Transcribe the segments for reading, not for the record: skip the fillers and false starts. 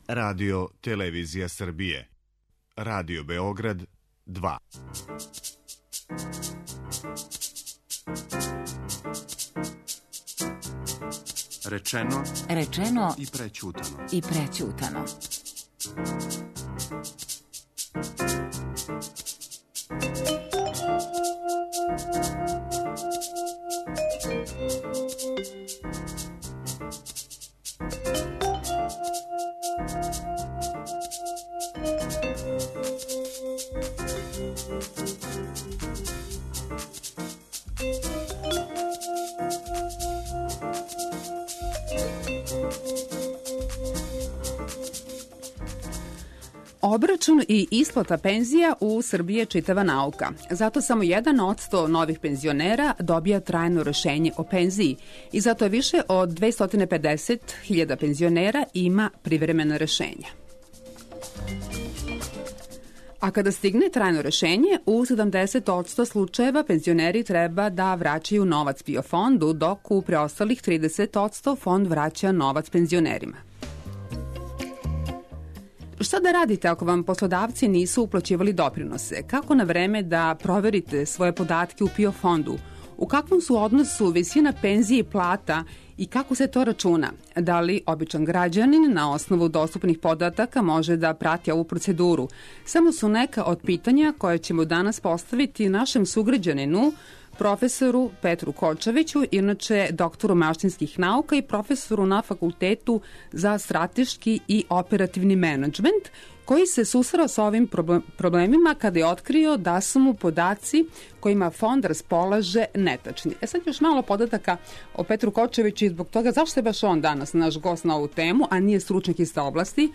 Radio Televizija Srbije. Radio Beograd 2. Rečeno i prećutano. Obračun i isplata penzija u Srbiji je čitava nauka. Zato samo 1% novih penzionera dobija trajno rešenje o penziji i zato više od 250.000 penzionera ima privremeno rešenje. A kada stigne trajno rešenje, u 70% slučajeva penzioneri treba da vraćaju novac PIO fondu, dok u preostalih 30% fond vraća novac penzionerima. Šta da radite ako vam poslodavci nisu uplaćivali doprinose? Kako na vreme da proverite svoje podatke u PIO fondu? U kakvom su odnosu visina penzije i plata i kako se to računa? Da li običan građanin na osnovu dostupnih podataka može da prati ovu proceduru? Samo su neka od pitanja koje ćemo danas postaviti našem sugrađaninu, profesoru Petru Kočeviću, inače doktoru mašinskih nauka i profesoru na Fakultetu za strateški i operativni menadžment, koji se susreo sa ovim problemima kada je otkrio da su mu podaci kojima fond raspolaže netačni. Sad još malo podataka o Petru Kočeviću i zbog toga zašto je baš on danas naš gost na ovu temu, a nije stručnjak iz te oblasti.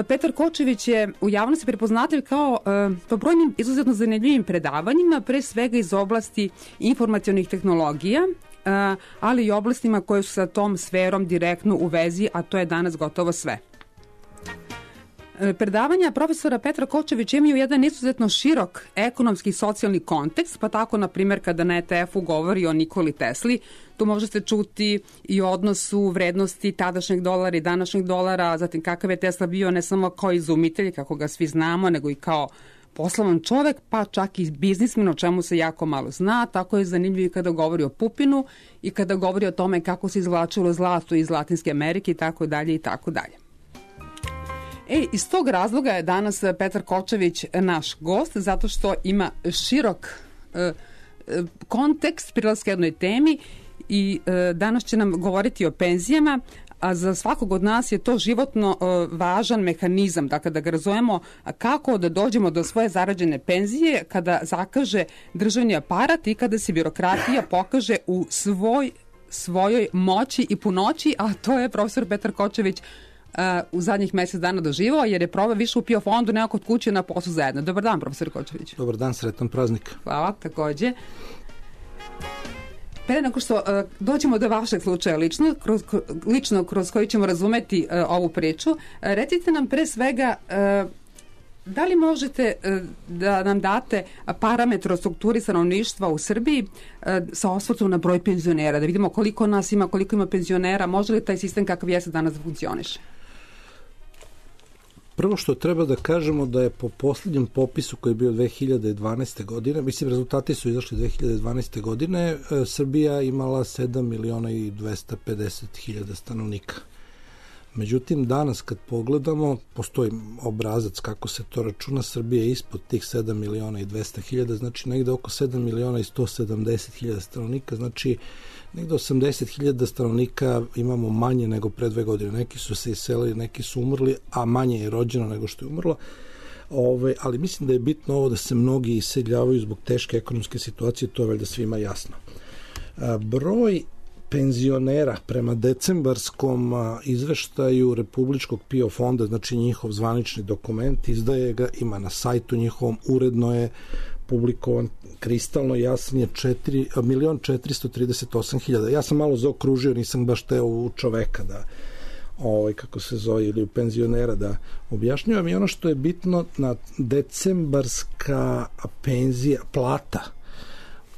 Petar Kočević je u javnosti prepoznatljiv kao po brojnim izuzetno zanimljivim predavanjima, pre svega iz oblasti informacionih tehnologija, ali i oblastima koje su sa tom sferom direktno u vezi, a to je danas gotovo sve. Predavanja profesora Petra Kočevića imaju jedan izuzetno širok ekonomski i socijalni kontekst, pa tako, na primjer, kada na ETF-u govori o Nikoli Tesli, tu možete čuti i o odnosu vrednosti tadašnjeg dolara i današnjeg dolara, zatim kakav je Tesla bio ne samo kao izumitelj, kako ga svi znamo, nego i kao poslovan čovek, pa čak i biznismen, o čemu se jako malo zna. Tako je zanimljivo i kada govori o Pupinu i kada govori o tome kako se izvlačilo zlato iz Latinske Amerike i tako dalje i tako dalje. Iz tog razloga je danas Petar Kočević naš gost, zato što ima širok kontekst prilaska jednoj temi i danas će nam govoriti o penzijama, a za svakog od nas je to životno važan mehanizam, dakle da ga razumemo kako da dođemo do svoje zarađene penzije kada zakaže državni aparat i kada se birokratija pokaže u svojoj moći i punoći, a to je profesor Petar Kočević u zadnjih mesec dana doživao, jer je probao više u PIO fondu nego kod kuće na poslu zajedno. Dobar dan, profesor Kočević. Dobar dan, sretan praznik. Hvala, takođe. Pre nego što dođemo do vašeg slučaja lično kroz koji ćemo razumeti ovu priču, recite nam pre svega da li možete da nam date parametre o strukturi stanovništva u Srbiji sa osvrtom na broj penzionera, da vidimo koliko nas ima, koliko ima penzionera, može li taj sistem kakav jeste danas da funkcioniše? Prvo što treba da kažemo da je po poslednjem popisu koji je bio 2012. godine, mislim rezultati su izašli 2012. godine, Srbija imala 7.250.000 stanovnika. Međutim, danas kad pogledamo, postoji obrazac kako se to računa, Srbija je ispod tih 7.200.000, znači negde oko 7.170.000 stanovnika, znači negde 80.000 stanovnika imamo manje nego pre 2 godine. Neki su se iselili, neki su umrli, a manje je rođeno nego što je umrlo. Ali mislim da je bitno ovo da se mnogi iseljavaju zbog teške ekonomske situacije, to je valjda svima jasno. Broj penzionera prema decembarskom izveštaju Republičkog PIO fonda, znači njihov zvanični dokument, izdaje ga, ima na sajtu njihovom, uredno je publikovan, kristalno jasan je 1.438.000. Ja sam malo zaokružio, nisam baš teo u čoveka da kako se zove, ili u penzionera da objašnjavam. I ono što je bitno, na decembarska penzija, plata,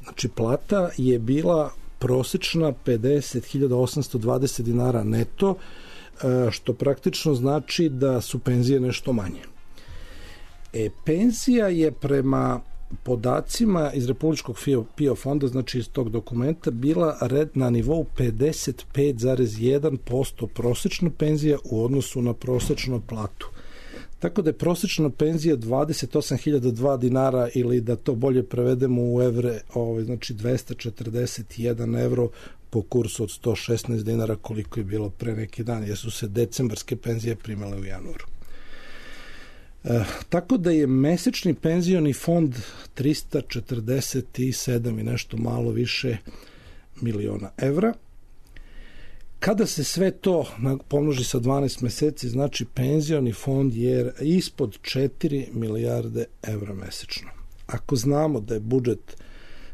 znači plata je bila prosečna 50.820 dinara neto, što praktično znači da su penzije nešto manje. Penzija je prema podacima iz Republičkog PIO fonda, znači iz tog dokumenta, bila na nivou 55,1% prosečna penzija u odnosu na prosečnu platu. Tako da je prosečna penzija 28.002 dinara, ili da to bolje prevedemo u evre, znači 241 evro po kursu od 116 dinara koliko je bilo pre neki dan, jer su se decembarske penzije primale u januaru. Tako da je mesečni penzioni fond 347 i nešto malo više miliona evra. Kada se sve to pomnoži sa 12 meseci, znači penzioni fond je ispod 4 milijarde evra mesečno. Ako znamo da je budžet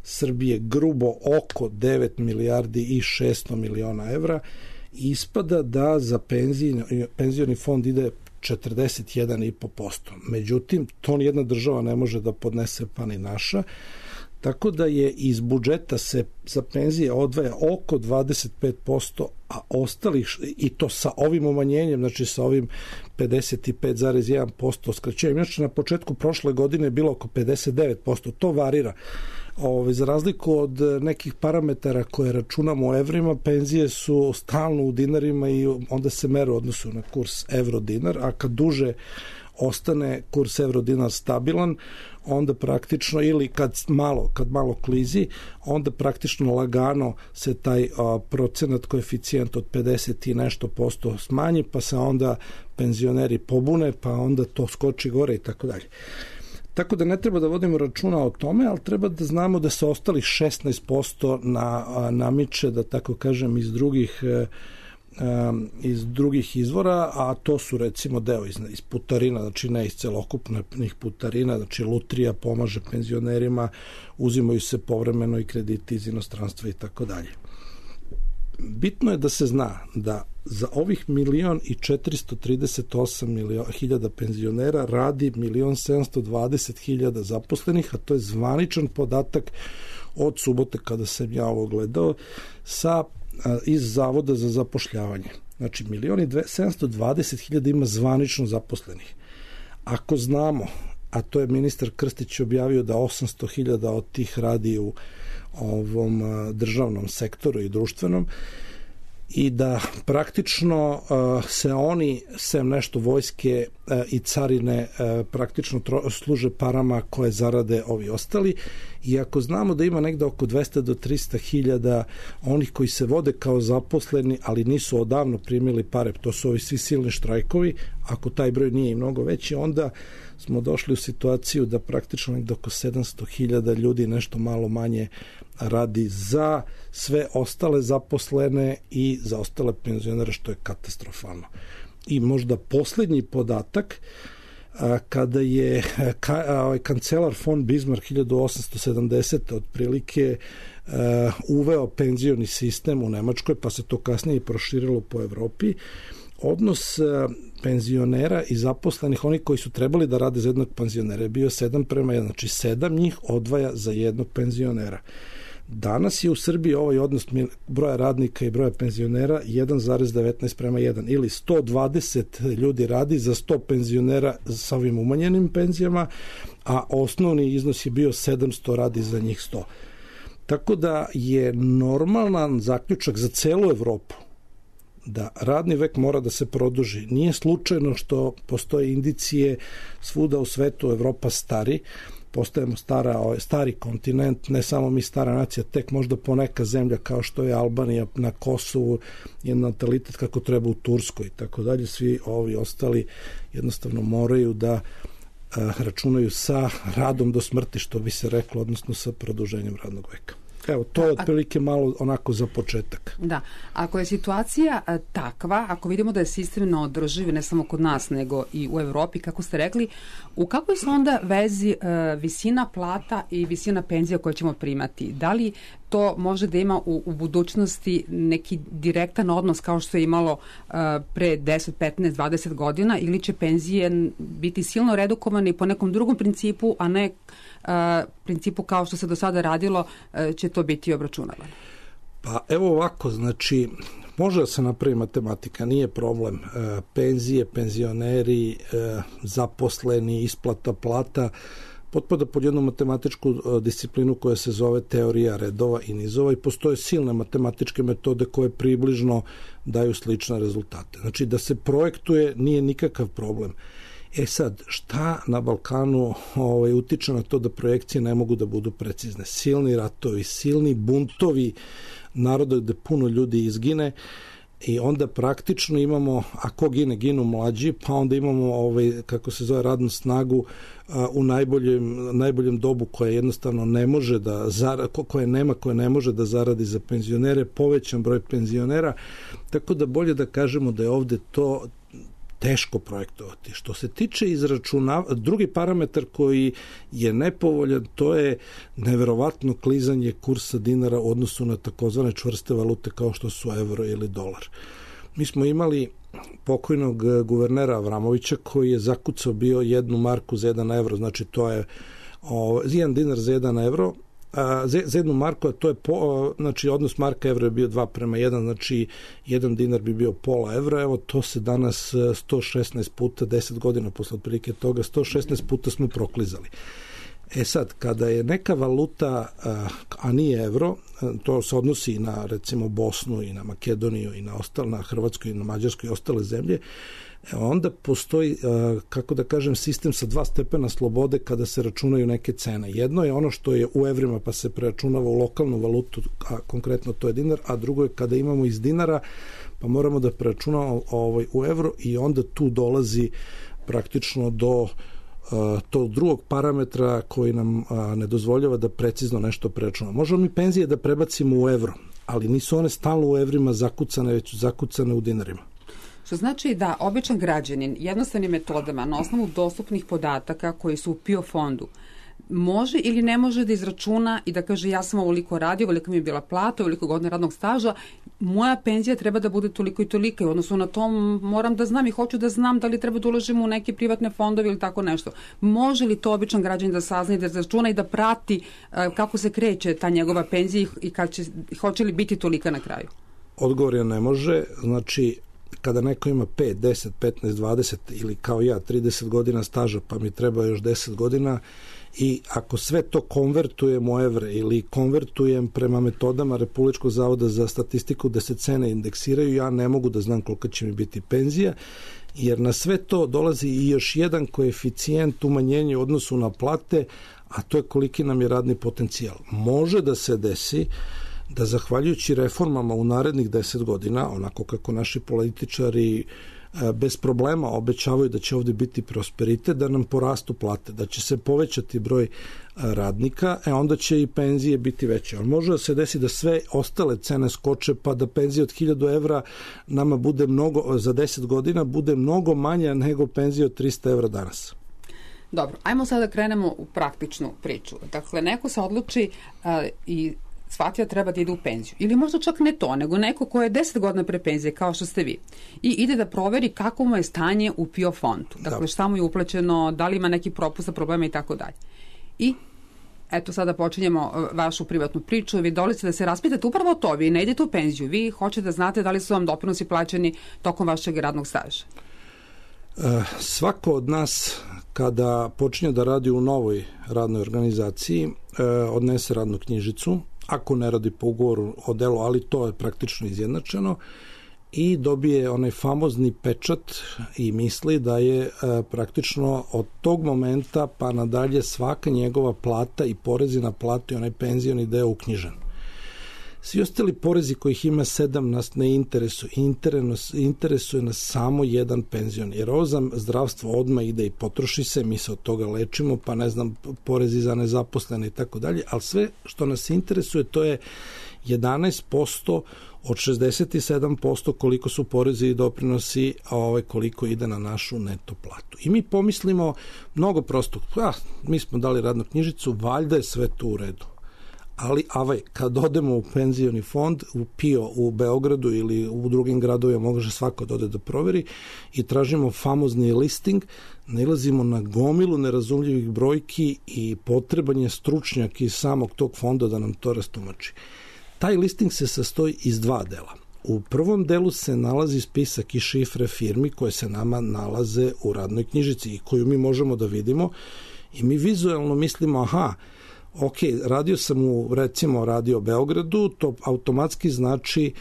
Srbije grubo oko 9 milijardi i 600 miliona evra, ispada da za penzioni fond ide 41,5%. Međutim, to nijedna država ne može da podnese, pa ni naša. Tako da je iz budžeta se za penzije odvaja oko 25%, a ostalih, i to sa ovim umanjenjem, znači sa ovim 55,1% skraćenjem. Znači na početku prošle godine je bilo oko 59%. To varira. Za razliku od nekih parametara koje računamo u evrima, penzije su stalno u dinarima i onda se mere u odnosu na kurs euro-dinar, a kad duže ostane kurs euro-dinar stabilan, onda praktično, ili kad malo klizi, onda praktično lagano se taj procenat, koeficijent od 50 i nešto posto smanji, pa se onda penzioneri pobune, pa onda to skoči gore i tako dalje. Tako da ne treba da vodimo računa o tome, ali treba da znamo da se ostalih 16% namiče, da tako kažem, iz drugih izvora, a to su recimo deo iz putarina, znači ne iz celokupnih putarina, znači lutrija pomaže penzionerima, uzimaju se povremeno i krediti iz inostranstva i tako dalje. Bitno je da se zna da za ovih 1.438.000 penzionera radi 1.720.000 zaposlenih, a to je zvaničan podatak od subote kada sam ja ovo gledao iz Zavoda za zapošljavanje. Znači 1.720.000 ima zvanično zaposlenih. Ako znamo, a to je ministar Krstić objavio da 800.000 od tih radi u ovom državnom sektoru i društvenom, i da praktično se oni, sem nešto vojske i carine, praktično služe parama koje zarade ovi ostali, i ako znamo da ima negde oko 200 do 300.000 onih koji se vode kao zaposleni, ali nisu odavno primili pare, to su ovi svi silni štrajkovi, ako taj broj nije i mnogo veći, onda smo došli u situaciju da praktično negde oko 700.000 ljudi, nešto malo manje, radi za sve ostale zaposlene i za ostale penzionere, što je katastrofalno. I možda poslednji podatak, kada je kancelar von Bismarck 1870. otprilike uveo penzioni sistem u Nemačkoj, pa se to kasnije i proširilo po Evropi, odnos penzionera i zaposlenih, oni koji su trebali da rade za jednog penzionera, je bio 7:1, znači 7 njih odvaja za jednog penzionera. Danas je u Srbiji ovaj odnos broja radnika i broja penzionera 1,19:1, ili 120 ljudi radi za 100 penzionera sa ovim umanjenim penzijama, a osnovni iznos je bio 700 radi za njih 100. Tako da je normalan zaključak za celu Evropu da radni vek mora da se produži. Nije slučajno što postoje indicije svuda u svetu, Evropa stari, postajemo stari kontinent, ne samo mi stara nacija, tek možda poneka zemlja kao što je Albanija na Kosovu je natalitet kako treba u Turskoj i tako dalje. Svi ovi ostali jednostavno moraju da računaju sa radom do smrti, što bi se reklo, odnosno sa produženjem radnog veka. Evo, to je otprilike malo onako za početak. Da, ako je situacija takva, ako vidimo da je sistem neodrživ, ne samo kod nas, nego i u Evropi, kako ste rekli, u kakvoj su onda vezi visina plata i visina penzija koje ćemo primati? Da li to može da ima u budućnosti neki direktan odnos kao što je imalo pre 10, 15, 20 godina, ili će penzije biti silno redukovane po nekom drugom principu, a ne principu kao što se do sada radilo, će to biti obračunavano? Pa evo ovako, znači Može da se napravi matematika, nije problem. Penzije, penzioneri, zaposleni, isplata plata, potpada pod jednu matematičku disciplinu koja se zove teorija redova i nizova i postoje silne matematičke metode koje približno daju slične rezultate. Znači da se projektuje nije nikakav problem. Sad, šta na Balkanu utiče na to da projekcije ne mogu da budu precizne? Silni ratovi, silni buntovi naroda gde puno ljudi izgine i onda praktično imamo, a ko gine, ginu mlađi, pa onda imamo kako se zove radnu snagu u najboljem dobu koja jednostavno ne može da koja ne može da zaradi za penzionere, povećan broj penzionera, tako da bolje da kažemo da je ovde to teško projektovati. Što se tiče drugi parametar koji je nepovoljan, to je neverovatno klizanje kursa dinara u odnosu na takozvane čvrste valute kao što su evro ili dolar. Mi smo imali pokojnog guvernera Avramovića koji je zakucao bio 1 marku za 1 evro, znači to je 1 dinar za 1 evro, za 1 marku, a to je znači odnos marka evra je bio 2:1, znači 1 dinar bi bio pola evra, evo to se danas 116 puta, 10 godina posle otprilike toga, 116 puta smo proklizali. Sad, kada je neka valuta, a nije evro, to se odnosi i na recimo Bosnu i na Makedoniju i na Hrvatsku i na Mađarsku i ostale zemlje, onda postoji, kako da kažem, sistem sa 2 stepena slobode kada se računaju neke cene. Jedno je ono što je u evrima pa se preračunava u lokalnu valutu, a konkretno to je dinar, a drugo je kada imamo iz dinara pa moramo da preračunamo u evro i onda tu dolazi praktično do tog drugog parametra koji nam ne dozvoljava da precizno nešto preračunamo. Možemo mi penzije da prebacimo u evro, ali nisu one stalno u evrima zakucane, već zakucane u dinarima. Što znači da običan građanin jednostavnim metodama na osnovu dostupnih podataka koji su u PIO fondu može ili ne može da izračuna i da kaže ja sam ovoliko radio, ovoliko mi je bila plata, ovoliko godina radnog staža, moja penzija treba da bude toliko i toliko i u odnosu na to moram da znam i hoću da znam da li treba da uložim u neke privatne fondove ili tako nešto. Može li to običan građanin da sazna i da izračuna i da prati kako se kreće ta njegova penzija i hoće li biti tolika na kraju? Odgovor je ne može, znači kada neko ima 5, 10, 15, 20 ili kao ja 30 godina staža pa mi treba još 10 godina i ako sve to konvertujem u evre ili konvertujem prema metodama Republičkog zavoda za statistiku da se cene indeksiraju, ja ne mogu da znam koliko će mi biti penzija, jer na sve to dolazi i još jedan koeficijent umanjenja u odnosu na plate, a to je koliki nam je radni potencijal. Može da se desi da zahvaljujući reformama u narednih 10 godina, onako kako naši političari bez problema obećavaju da će ovde biti prosperitet, da nam porastu plate, da će se povećati broj radnika, onda će i penzije biti veće. Ali može da se desi da sve ostale cene skoče, pa da penzija od 1000 evra nama bude za 10 godina bude mnogo manja nego penzija od 300 evra danas. Dobro, ajmo sada da krenemo u praktičnu priču. Dakle, neko se odluči i shvatio da treba da ide u penziju. Ili možda čak ne to, nego neko ko je 10 godina pre penzije, kao što ste vi, i ide da proveri kako mu je stanje u PIO fondu. Dakle, šta mu je uplaćeno, da li ima neki propusta, problema i tako dalje. I eto, sada počinjemo vašu privatnu priču. Vi dolazite da se raspitate upravo to. Vi ne idete u penziju. Vi hoćete da znate da li su vam doprinosi plaćeni tokom vašeg radnog staža. Svako od nas kada počinje da radi u novoj radnoj organizaciji odnese radnu knjižicu, ako ne radi po ugovoru o delu, ali to je praktično izjednačeno, i dobije onaj famozni pečat i misli da je praktično od tog momenta pa nadalje svaka njegova plata i porezi na platu i onaj penzioni deo uknjižen. Svi ostali porezi kojih ima 7 nas ne interesuju. Interesuje nas samo jedan penzion, jer ovo za zdravstvo odmah ide i potroši se, mi se od toga lečimo, pa ne znam, porezi za nezaposlene i tako dalje, ali sve što nas interesuje to je 11% od 67% koliko su porezi i doprinosi, koliko ide na našu neto platu. I mi pomislimo mnogo prosto, mi smo dali radnu knjižicu, valjda je sve to u redu. Ali kad odemo u penzioni fond, u PIO u Beogradu ili u drugim gradovima, može svako da ode da proveri, i tražimo famozni listing, nailazimo na gomilu nerazumljivih brojki i potreban je stručnjak iz samog tog fonda da nam to rastumači. Taj listing se sastoji iz 2 dela. U prvom delu se nalazi spisak i šifre firmi koje se nama nalaze u radnoj knjižici i koju mi možemo da vidimo i mi vizualno mislimo, ok, radio sam u, recimo, Radio Beogradu, to automatski znači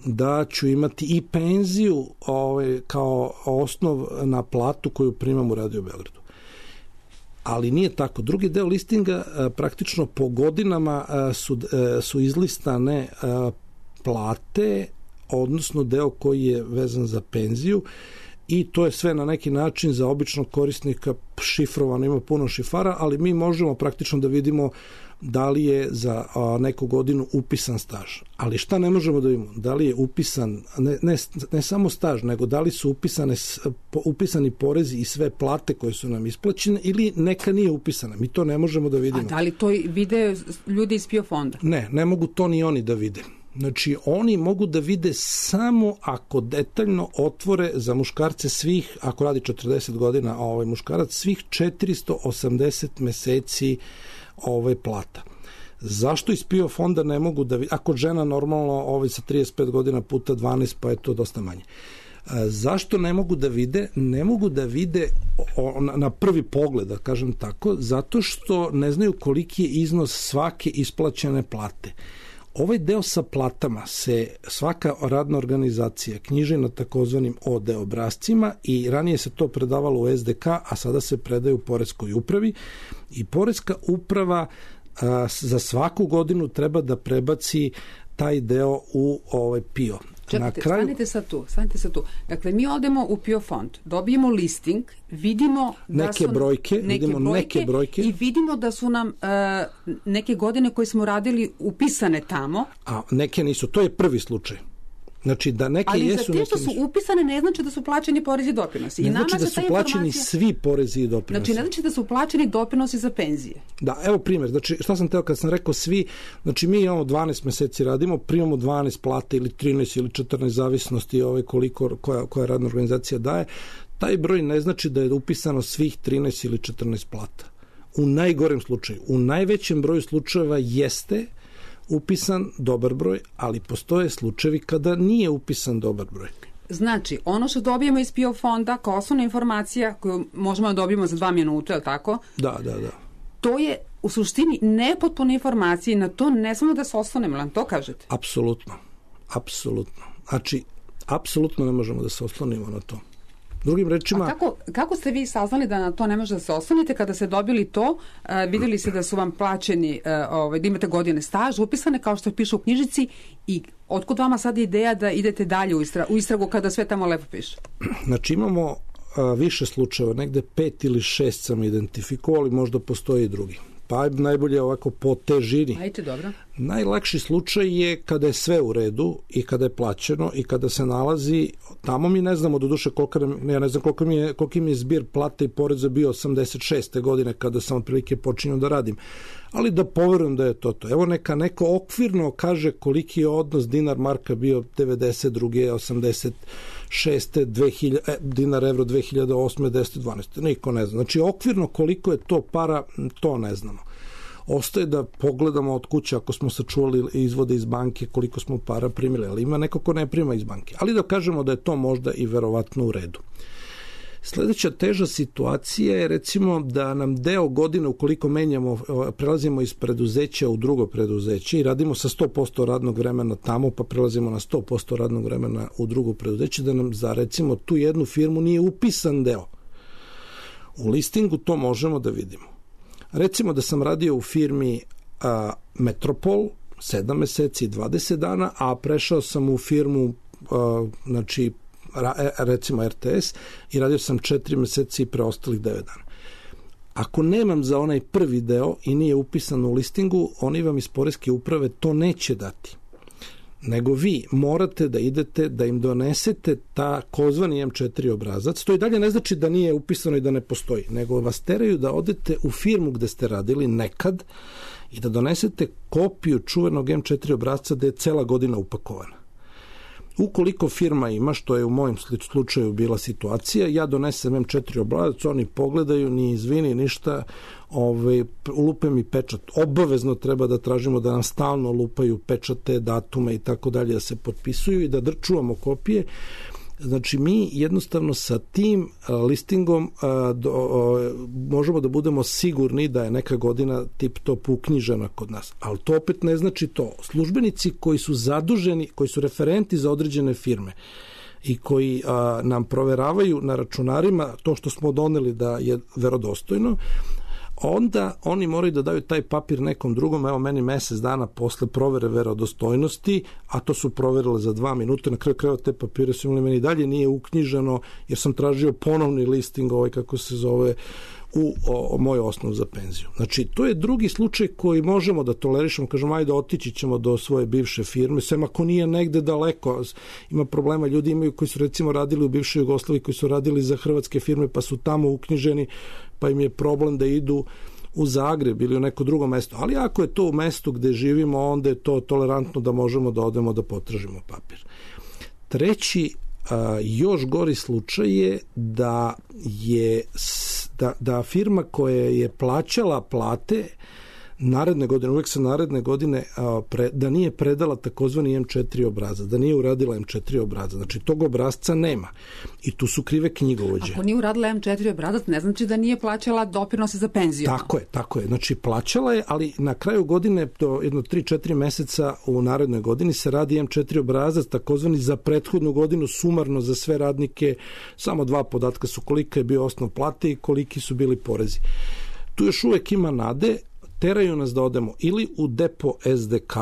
da ću imati i penziju kao osnov na platu koju primam u Radio Beogradu. Ali nije tako. Drugi deo listinga praktično po godinama su izlistane plate, odnosno deo koji je vezan za penziju i to je sve na neki način za običnog korisnika šifrovano, ima puno šifara, ali mi možemo praktično da vidimo da li je za neku godinu upisan staž. Ali šta ne možemo da vidimo? Da li je upisan, ne samo staž, nego da li su upisani porezi i sve plate koje su nam isplaćene ili neka nije upisana. Mi to ne možemo da vidimo. A da li to vide ljudi iz PIO fonda? Ne mogu to ni oni da vide. Znači, oni mogu da vide samo ako detaljno otvore za muškarce svih, ako radi 40 godina muškarac, svih 480 meseci plata. Zašto iz PIO fonda ne mogu da vide, ako žena normalno sa 35 godina puta 12, pa je to dosta manje. Zašto ne mogu da vide? Ne mogu da vide na prvi pogled, da kažem tako, zato što ne znaju koliki je iznos svake isplaćene plate. Ovaj deo sa platama se svaka radna organizacija knjiži na takozvanim OD obrascima i ranije se to predavalo u SDK, a sada se predaje u Poreskoj upravi i Poreska uprava za svaku godinu treba da prebaci taj deo u PIO. Čekajte, stanite sad tu. Dakle, mi odemo u PIO fond, dobijemo listing, vidimo da neke brojke i vidimo da su nam neke godine koje smo radili upisane tamo. A neke nisu, to je prvi slučaj. Znači da neke ali jesu, za te što su upisane ne znači da su plaćeni porezi i doprinosi. Ne znači da su plaćeni svi porezi i doprinosi. Znači ne znači da su plaćeni doprinosi za penzije. Da, evo primjer. Znači šta sam teo kad sam rekao svi, znači mi imamo 12 meseci radimo, primamo 12 plata ili 13 ili 14 zavisnosti koliko koja radna organizacija daje. Taj broj ne znači da je upisano svih 13 ili 14 plata. U najgorem slučaju. U najvećem broju slučajeva jeste upisan dobar broj, ali postoje slučajevi kada nije upisan dobar broj. Znači, ono što dobijemo iz PIO fonda kao osnovna informacija koju možemo da dobijemo za 2 minuta, je li tako? Da. To je u suštini nepotpune informacije, na to ne smemo da se oslonimo, nam to kažete? Apsolutno. Znači, apsolutno ne možemo da se oslonimo na to. Drugim rečima... A kako ste vi saznali da na to ne možete da se oslonite kada ste dobili to, videli ste da su vam plaćeni, da imate godine staž, upisane kao što piše u knjižici i otkud vama sad ideja da idete dalje u istragu kada sve tamo lepo piše? Znači imamo više slučajeva, negde 5 ili 6 sam identifikovali, možda postoji i drugi. Pa najbolje ovako po težini. Ajde, dobro. Najlakši slučaj je kada je sve u redu i kada je plaćeno i kada se nalazi, tamo mi ne znamo doduše ja ne znam koliki mi je zbir plate i poreza bio 86. godine kada sam otprilike počinio da radim. Ali da poverujem da je to. Evo neka neko okvirno kaže koliki je odnos dinar marka bio 92. 86. 2000, dinar evro 2008. 10. 12. Niko ne zna. Znači okvirno koliko je to para, to ne znamo. Ostaje da pogledamo od kuće ako smo sačuvali izvode iz banke koliko smo para primili, ali ima neko ko ne prima iz banke. Ali da kažemo da je to možda i verovatno u redu. Sledeća teža situacija je recimo da nam deo godine ukoliko prelazimo iz preduzeća u drugo preduzeće i radimo sa 100% radnog vremena tamo pa prelazimo na 100% radnog vremena u drugo preduzeće, da nam za recimo tu jednu firmu nije upisan deo. U listingu to možemo da vidimo. Recimo da sam radio u firmi Metropol 7 meseci i 20 dana, a prešao sam u firmu recimo RTS i radio sam 4 meseci i preostalih 9 dana. Ako nemam za onaj prvi deo i nije upisan u listingu, oni vam iz Poreske uprave to neće dati. Nego vi morate da idete, da im donesete takozvani M4 obrazac. To i dalje ne znači da nije upisano i da ne postoji, nego vas teraju da odete u firmu gde ste radili nekad i da donesete kopiju čuvenog M4 obrazca gde je cela godina upakovana. Ukoliko firma ima, što je u mojem slučaju bila situacija, ja donesem M4 obrazac, oni pogledaju, ni izvini, ništa, lupe mi pečat. Obavezno treba da tražimo da nam stalno lupaju pečate, datume i tako dalje, da se potpisuju i da čuvamo kopije. Znači, mi jednostavno sa tim listingom možemo da budemo sigurni da je neka godina tip top uknjižena kod nas. Ali to opet ne znači to. Službenici koji su zaduženi, koji su referenti za određene firme i koji nam proveravaju na računarima to što smo doneli da je verodostojno, onda oni moraju da daju taj papir nekom drugom. Evo, meni mesec dana posle provere verodostojnosti, a to su proverile za 2 minuta, na kraju krajeva te papire su imali, meni dalje nije uknjiženo, jer sam tražio ponovni listing, kako se zove, u moj osnov za penziju. Znači, to je drugi slučaj koji možemo da tolerišemo, kažemo, ajde, otići ćemo do svoje bivše firme, sem ako nije negde daleko. Ima problema, ljudi imaju koji su recimo radili u bivšoj Jugoslaviji, koji su radili za hrvatske firme, pa su tamo uknjiženi, pa im je problem da idu u Zagreb ili u neko drugo mesto. Ali ako je to u mestu gde živimo, onda je to tolerantno da možemo da odemo da potražimo papir. Treći, još gori slučaj je da firma koja je plaćala plate naredne godine, uvek se naredne godine da nije predala takozvani M4 obrazac, da nije uradila M4 obrazac. Znači, tog obrazca nema. I tu su krive knjigovođe. Ako nije uradila M4 obrazac, ne znači da nije plaćala doprinose za penziju. Tako je. Znači, plaćala je, ali na kraju godine, do jedno 3-4 meseca u narednoj godini se radi M4 obrazac, takozvani za prethodnu godinu, sumarno za sve radnike. Samo 2 podatka su kolika je bio osnov plate i koliki su bili porezi. Tu još uvek ima nade. Teraju nas da odemo ili u depo SDK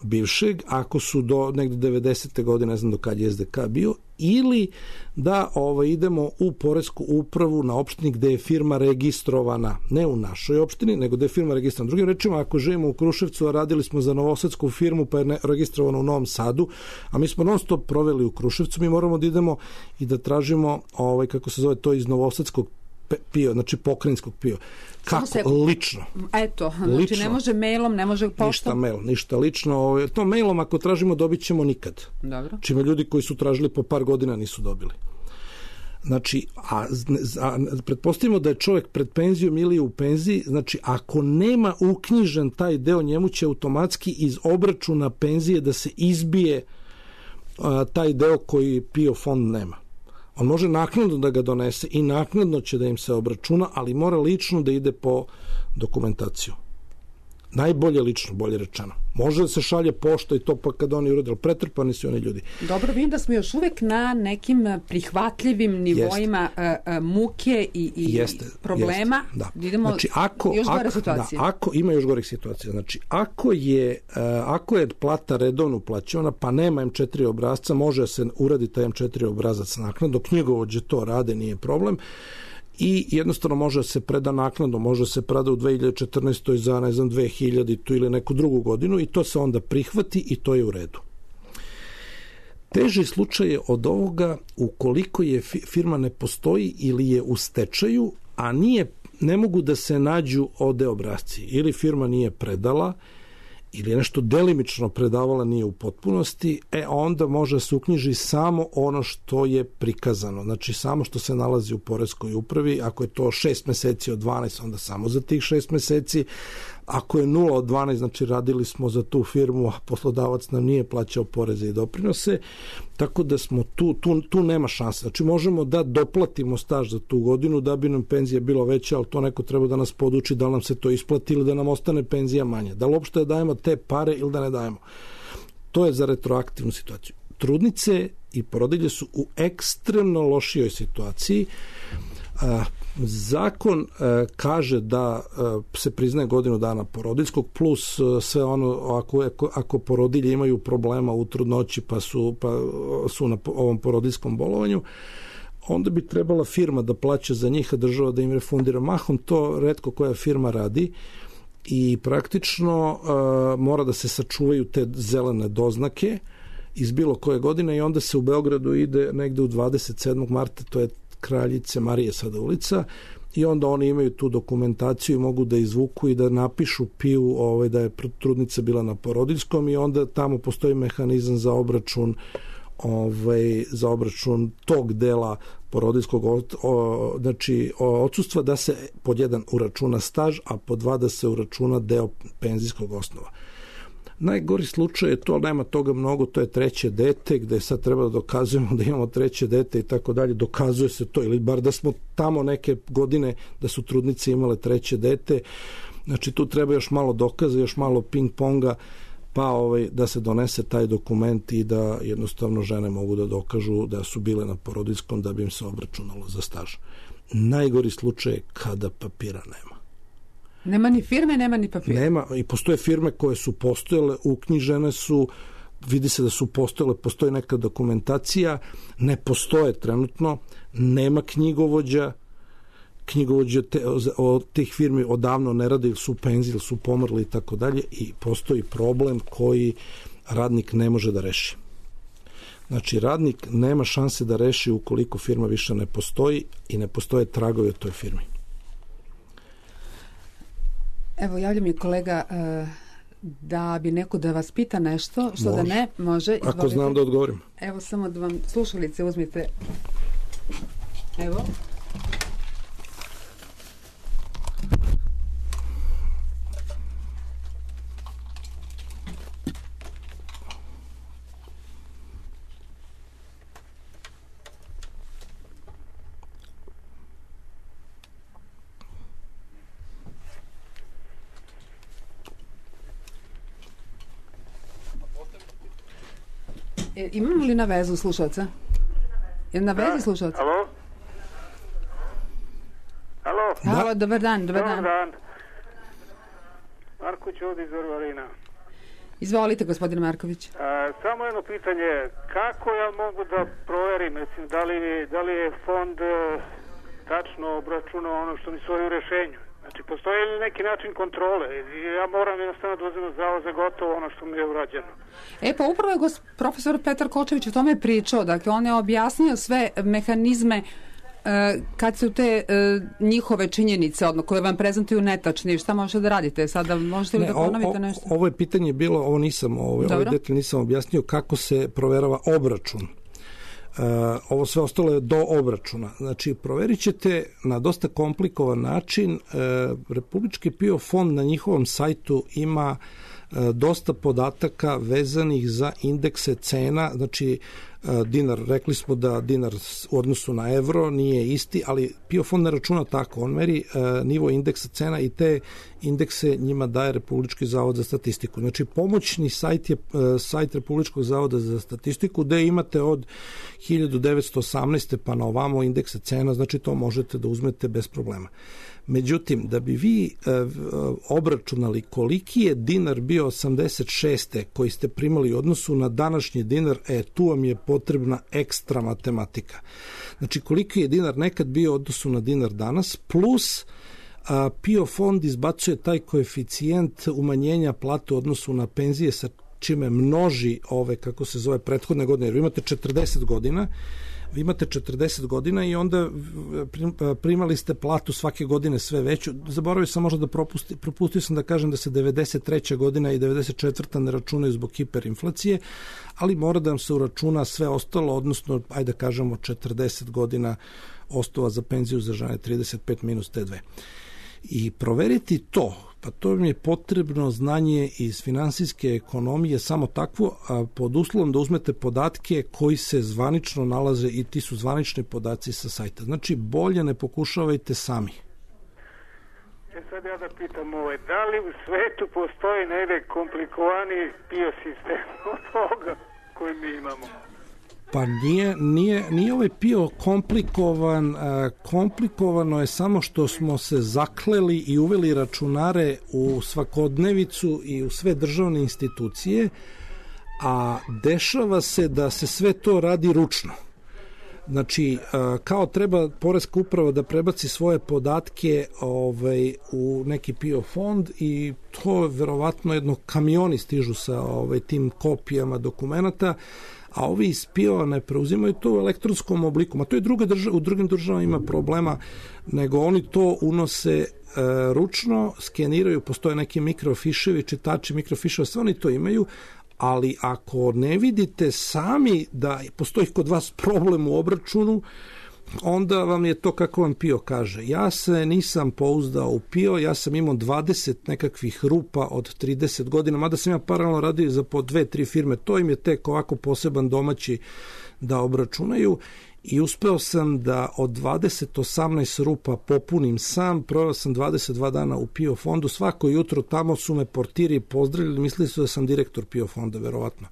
bivšeg, ako su do negde 90. godine, ne znam do kad je SDK bio, ili da idemo u poresku upravu na opštini gde je firma registrovana, ne u našoj opštini, nego gde je firma registrovana. Drugim rečima, ako živimo u Kruševcu, a radili smo za novosadsku firmu, pa je registrovano u Novom Sadu, a mi smo non stop proveli u Kruševcu, mi moramo da idemo i da tražimo, kako se zove to, iz novosadskog PIO, znači pokrajinskog PIO. Kako? Lično. Eto, znači lično. Ne može mailom, ne može poštom. Ništa lično. To mailom ako tražimo dobit ćemo nikad. Dobro. Čime ljudi koji su tražili po par godina nisu dobili. Znači, pretpostavimo da je čovjek pred penzijom ili u penziji, znači ako nema uknjižen taj deo, njemu će automatski iz obračuna penzije da se izbije taj deo koji PIO fond nema. On može naknadno da ga donese i naknadno će da im se obračuna, ali mora lično da ide po dokumentaciju. Najbolje lično, bolje rečeno. Može da se šalje pošta i to pa kad oni urade, pretrpani su oni ljudi. Dobro, vidim da smo još uvek na nekim prihvatljivim nivoima muke i problema. Da. Idemo znači, još gore situacije. Ima još gorih situacija. Znači, ako je plata redovno uplaćivana, pa nema M4 obrazca, može se uraditi taj M4 obrazac naknadno, knjigovođe to rade, nije problem. I jednostavno može se preda naknadno, može se preda u 2014. za, 2000 ili neku drugu godinu i to se onda prihvati i to je u redu. Teži slučaj je od ovoga ukoliko je firma ne postoji ili je u stečaju, a ne mogu da se nađu OD obrazci. Ili firma nije predala, ili je nešto delimično predavala, nije u potpunosti, onda može se uknjiži samo ono što je prikazano. Znači, samo što se nalazi u poreskoj upravi. Ako je to 6 meseci od 12, onda samo za tih 6 meseci. Ako je 0 od 12, znači radili smo za tu firmu, a poslodavac nam nije plaćao poreze i doprinose, tako da smo tu nema šanse. Znači, možemo da doplatimo staž za tu godinu da bi nam penzija bila veća, ali to neko treba da nas poduči da nam se to isplati ili da nam ostane penzija manja. Da li uopšte da dajemo te pare ili da ne dajemo. To je za retroaktivnu situaciju. Trudnice i porodilje su u ekstremno lošijoj situaciji. Zakon kaže da se priznaje godinu dana porodiljskog plus sve ono ako porodilje imaju problema u trudnoći pa su na ovom porodiljskom bolovanju, onda bi trebala firma da plaća za njih, a država da im refundira. Mahom to retko koja firma radi i praktično mora da se sačuvaju te zelene doznake iz bilo koje godine i onda se u Beogradu ide negde u 27. marta, to je Kraljice Marije sada ulica, i onda oni imaju tu dokumentaciju i mogu da izvuku i da napišu PIU da je trudnica bila na porodiljskom i onda tamo postoji mehanizam za obračun tog dela porodiljskog odsustva, da se pod jedan uračuna staž, a pod dva da se uračuna deo penzijskog osnova. Najgori slučaj je to, ali nema toga mnogo, to je treće dete, gde sad treba da dokazujemo da imamo treće dete i tako dalje, dokazuje se to, ili bar da smo tamo neke godine da su trudnice imale treće dete, znači tu treba još malo dokaza, još malo ping-ponga, pa da se donese taj dokument i da jednostavno žene mogu da dokažu da su bile na porodiljskom da bi im se obračunalo za staž. Najgori slučaj je kada papira nema. Nema ni firme, nema ni papira. Nema, i postoje firme koje su postojale, uknjižene su, vidi se da su postojale, postoji neka dokumentacija, ne postoje trenutno, nema knjigovođa od tih firmi odavno ne rade ili su u penziji ili su pomrli i tako dalje i postoji problem koji radnik ne može da reši. Znači, radnik nema šanse da reši ukoliko firma više ne postoji i ne postoje tragovi od toj firmi. Evo, javlja mi kolega da bi neko da vas pita nešto, što može. Da ne može. Izvolite. Ako znam da odgovorim. Evo, samo da vam slušalice uzmite. Evo. Imamo li na vezu slušalca? Je na vezi slušalca? Alo? Halo, dobar dan. Dobar dan. Marković ovdje iz Varvarina. Izvolite, gospodine Marković. Samo jedno pitanje. Kako ja mogu da proverim, da li je fond tačno obračunao ono što mi stoji u rešenju? Znači, postoji li neki način kontrole? Ja moram jednostavno da uzem za gotovo ono što mi je urađeno. Pa upravo je profesor Petar Kočević o tome pričao. Dakle, on je objasnio sve mehanizme kad su te njihove činjenice, koje vam prezentuju netačni, šta možete da radite? Sada možete li da ponovite nešto? Ovo je pitanje bilo, ovaj detalj nisam objasnio kako se proverava obračun. Ovo sve ostalo je do obračuna. Znači, proverit ćete na dosta komplikovan način. Republički PIO fond na njihovom sajtu ima dosta podataka vezanih za indekse cena, znači dinar, rekli smo da dinar u odnosu na evro nije isti, ali PIO fond ne računa tako, on meri nivo indeksa cena i te indekse njima daje Republički zavod za statistiku. Znači, pomoćni sajt je sajt Republičkog zavoda za statistiku, gde imate od 1918. pa na ovamo indekse cena, znači to možete da uzmete bez problema. Međutim, da bi vi obračunali koliki je dinar bio 86. koji ste primali u odnosu na današnji dinar, tu vam je potrebna ekstra matematika. Znači, koliki je dinar nekad bio u odnosu na dinar danas, plus PIO fond izbacuje taj koeficijent umanjenja plate u odnosu na penzije sa čime množi ove, kako se zove, prethodne godine, jer vi imate 40 godina i onda primali ste platu svake godine sve veću. Zaboravio sam možda da propustio sam da kažem da se 93. godina i 94. ne računaju zbog hiperinflacije, ali mora da vam se uračuna sve ostalo, odnosno, ajde da kažemo 40 godina osnova za penziju za žene, 35 minus te dve. I proveriti to, pa to mi je potrebno znanje iz finansijske ekonomije, samo takvo, pod uslovom da uzmete podatke koji se zvanično nalaze i ti su zvanični podaci sa sajta. Znači, bolje ne pokušavajte sami. Sad ja da pitam, da li u svetu postoji negde komplikovaniji PIO sistem od toga koji mi imamo? Pa nije ovaj PIO komplikovan. Komplikovano je samo što smo se zakleli i uveli računare u svakodnevicu i u sve državne institucije, a dešava se da se sve to radi ručno. Znači, kao treba Poreska uprava da prebaci svoje podatke u neki PIO fond i to verovatno kamioni stižu sa tim kopijama dokumenata, a ovi iz PIO ne preuzimaju to u elektronskom obliku. Ma to je u drugim državama ima problema, nego oni to unose ručno, skeniraju, postoje neki mikrofiševi, čitači mikrofiševa, sve oni to imaju, ali ako ne vidite sami da postoji kod vas problem u obračunu, onda vam je to kako vam PIO kaže. Ja se nisam pouzdao u PIO, ja sam imao 20 nekakvih rupa od 30 godina, mada sam ja paralelno radio za po 2-3 firme, to im je tek ovako poseban domaći da obračunaju i uspeo sam da od 18 rupa popunim sam, proveo sam 22 dana u PIO fondu, svako jutro tamo su me portiri pozdravili, mislili su da sam direktor PIO fonda, verovatno.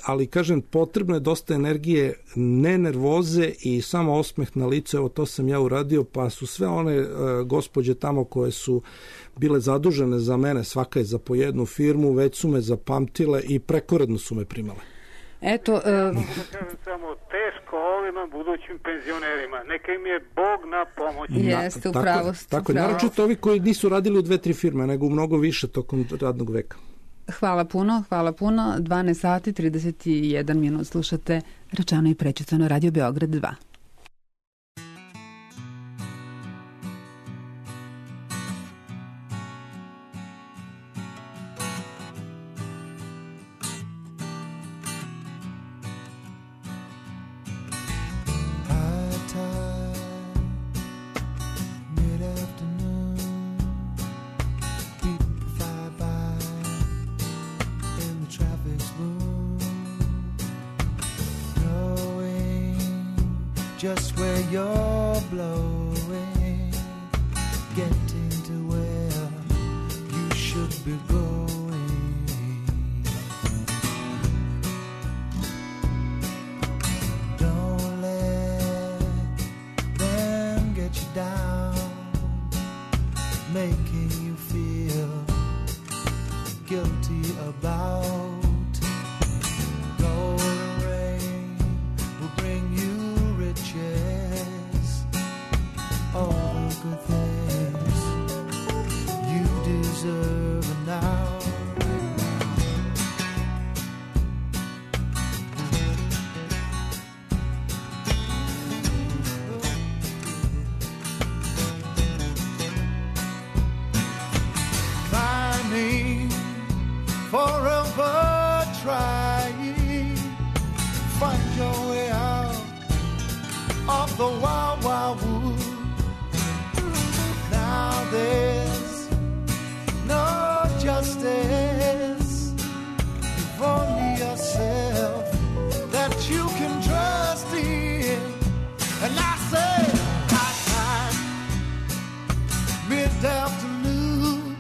Ali kažem, potrebno je dosta energije, ne nervoze i samo osmeh na licu, evo to sam ja uradio, pa su sve one gospođe tamo koje su bile zadužene za mene, svaka je za po jednu firmu, već su me zapamtile i prekoredno su me primale. Eto, samo teško ovima budućim penzionerima. Neka im je Bog na pomoć. Jeste, upravo. Tako je, naročito ovi koji nisu radili u 2-3 firme, nego u mnogo više tokom radnog veka. Hvala puno. 12 sati, 31 minut slušate Rečeno i prećutano, Radio Beograd 2. Just where you're blowing, getting to where you should be going. Don't let them get you down, making you feel guilty about golden rain will bring you all the good things you deserve now. Climbing, forever trying, find your way out of the wild, wild wood. Now there's no justice. You've only yourself that you can trust in. And I say, high time, mid-afternoon,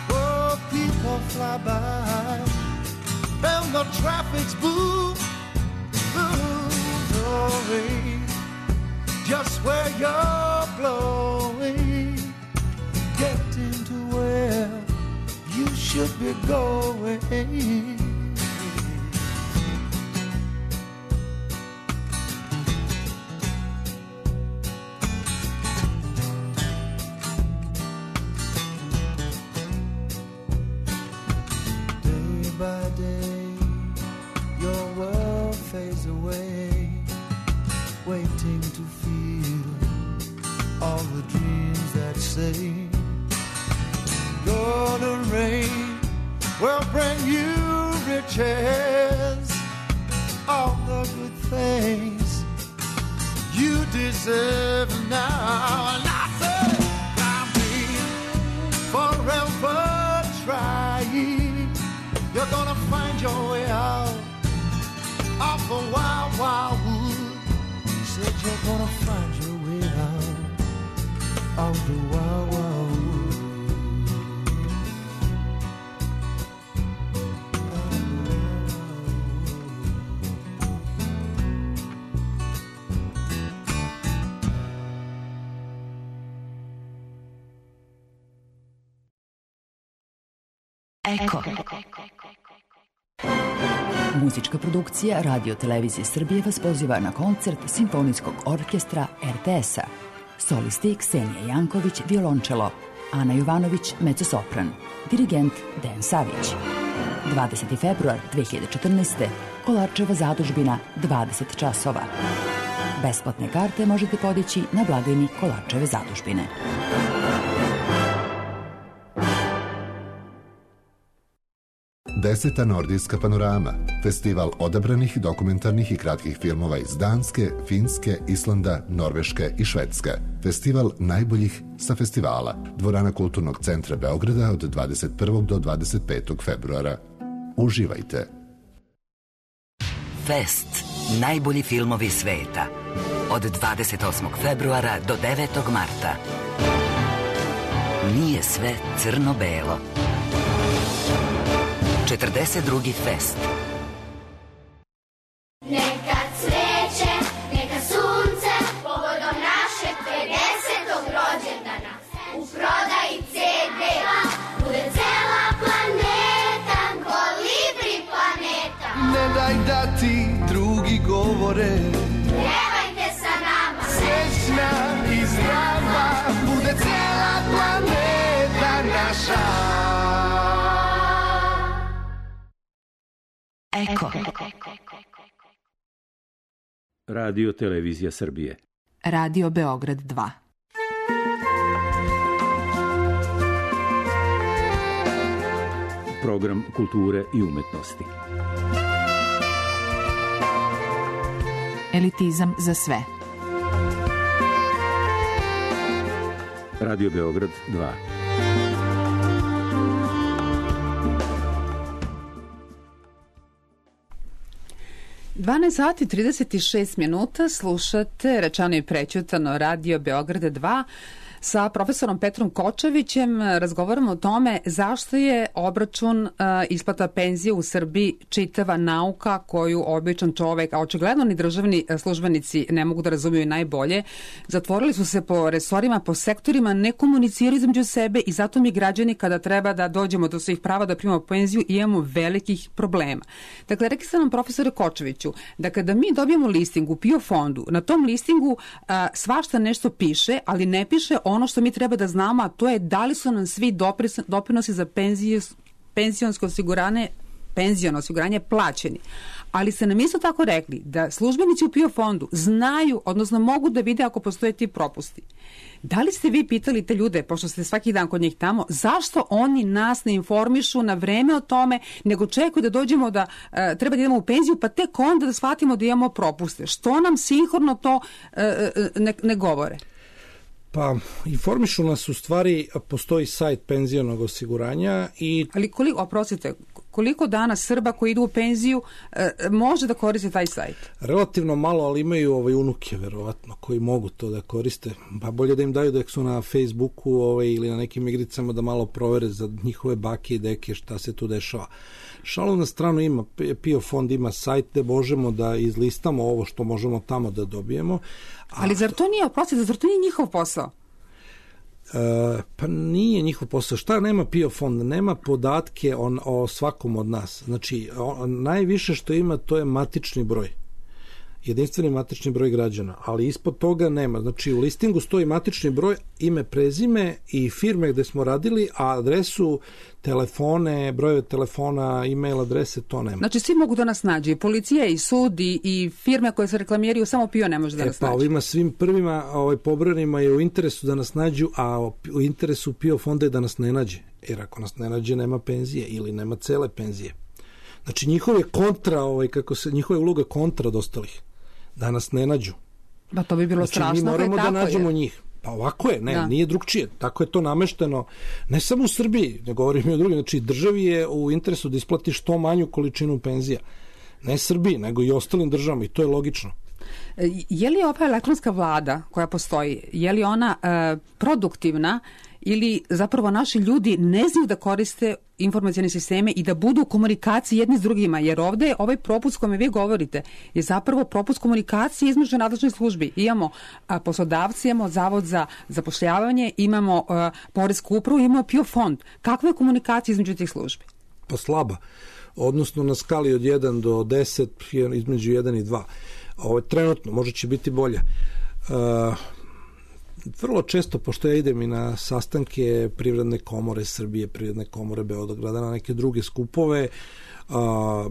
oh, people fly by, and the traffic's boom, boom, just where you're blowing, getting to where you should be going. Day by day, your world fades away, waiting to feel all the dreams that say golden rain will bring you riches, all the good things you deserve now. And I say, I'm forever trying, you're gonna find your way out of the wild, wild wood. Said you're gonna find your way out of the wild, wild wood. Eko. Muzička produkcija Radio Televizije Srbije vas poziva na koncert Simfonijskog orkestra RTS-a. Solisti Ksenija Janković, violončelo, Ana Jovanović, mezzosopran, dirigent Dejan Savić. 20. februar 2014. Kolarčeva zadužbina, 20 časova. Besplatne karte možete podići na blagajni Kolarčeve zadužbine. Deseta nordijska panorama, festival odabranih dokumentarnih i kratkih filmova iz Danske, Finske, Islanda, Norveške i Švedske. Festival najboljih sa festivala. Dvorana Kulturnog centra Beograda od 21. do 25. februara. Uživajte! Fest. Najbolji filmovi sveta. Od 28. februara do 9. marta. Nije sve crno-belo. 42. fest. Neka cveće, neka sunce, povodom našeg 50. rođendana. U prodaji CD-a bude cela planeta, Kolibri planeta. Ne daj da ti drugi govore, Pjevajte sa nama, srećna i zdrava, bude cela planeta naša. Eko. Radio Televizija Srbije. Radio Beograd 2. Program kulture i umetnosti. Elitizam za sve. Radio Beograd 2. sati 36 minuta slušate rečano i prećutano Radio Beograd 2. Sa profesorom Petrom Kočevićem razgovaramo o tome zašto je obračun isplata penzije u Srbiji čitava nauka koju običan čovek, a očigledno ni državni službenici ne mogu da razumiju najbolje. Zatvorili su se po resorima, po sektorima, ne komuniciraju između sebe i zato mi građani kada treba da dođemo do svojih prava da primamo penziju imamo velikih problema. Dakle, rekli ste nam profesore Kočeviću da kada mi dobijemo listing u PIO fondu, na tom listingu svašta nešto piše, ali ne piše ono što mi treba da znamo, a to je da li su nam svi doprinosi za penzionsko osiguranje plaćeni. Ali ste nam isto tako rekli da službenici u PIO fondu znaju, odnosno mogu da vide ako postoje ti propusti. Da li ste vi pitali te ljude, pošto ste svaki dan kod njih tamo, zašto oni nas ne informišu na vreme o tome, nego čekaju da dođemo da treba da idemo u penziju, pa tek onda da shvatimo da imamo propuste? Što nam sinhorno to ne govore? Pa, informišu nas u stvari, postoji sajt penzionog osiguranja i... Ali koliko danas Srba koji idu u penziju može da koriste taj sajt? Relativno malo, ali imaju unuke, verovatno, koji mogu to da koriste. Pa bolje da im daju da su na Facebooku ili na nekim igricama da malo provere za njihove bake i deke šta se tu dešava. Šalu na stranu ima, PIO fond ima sajt gde možemo da izlistamo ovo što možemo tamo da dobijemo. Ali zar to nije zar to nije njihov posao? Pa nije njihov posao. Šta nema PIO fond? Nema podatke o svakom od nas. Znači, najviše što ima to je matični broj. Jedinstveni matični broj građana, ali ispod toga nema. Znači, u listingu stoji matični broj, ime, prezime i firme gde smo radili, a adresu, telefone, brojeve telefona, e-mail adrese, to nema. Znači, svi mogu da nas nađe, i policija, i sud, i firme koje se reklamiraju, samo PIO ne može da nas nađe. Pa ovima svim prvima pobranima je u interesu da nas nađu, a u interesu PIO fonda je da nas ne nađe. Jer ako nas ne nađe, nema penzije ili nema cele penzije. Znači, njihove njihove uloga kontra od ostalih. Da nas ne nađu. Pa to bi bilo strašno. Znači, mi moramo da nađemo njih. Pa ovako je, nije drugčije. Tako je to namešteno, ne samo u Srbiji, ne govorim i o drugim. Znači, državi je u interesu da isplati što manju količinu penzija. Ne Srbiji, nego i ostalim državama i to je logično. Je li ova elektronska vlada koja postoji, je li ona produktivna ili zapravo naši ljudi ne znaju da koriste informacione sisteme i da budu u komunikaciji jedni s drugima, jer ovde je ovaj propust kome vi govorite je zapravo propust komunikacije između nadležnih službi. Imamo poslodavci, imamo Zavod za zapošljavanje, imamo Poresku upravu, imamo PIO fond. Kakva je komunikacija između tih službi? Pa slaba. Odnosno na skali od 1 do 10, između 1 i 2. Trenutno, možda će biti bolje. vrlo često, pošto ja idem i na sastanke Privredne komore Srbije, Privredne komore Beograda, na neke druge skupove,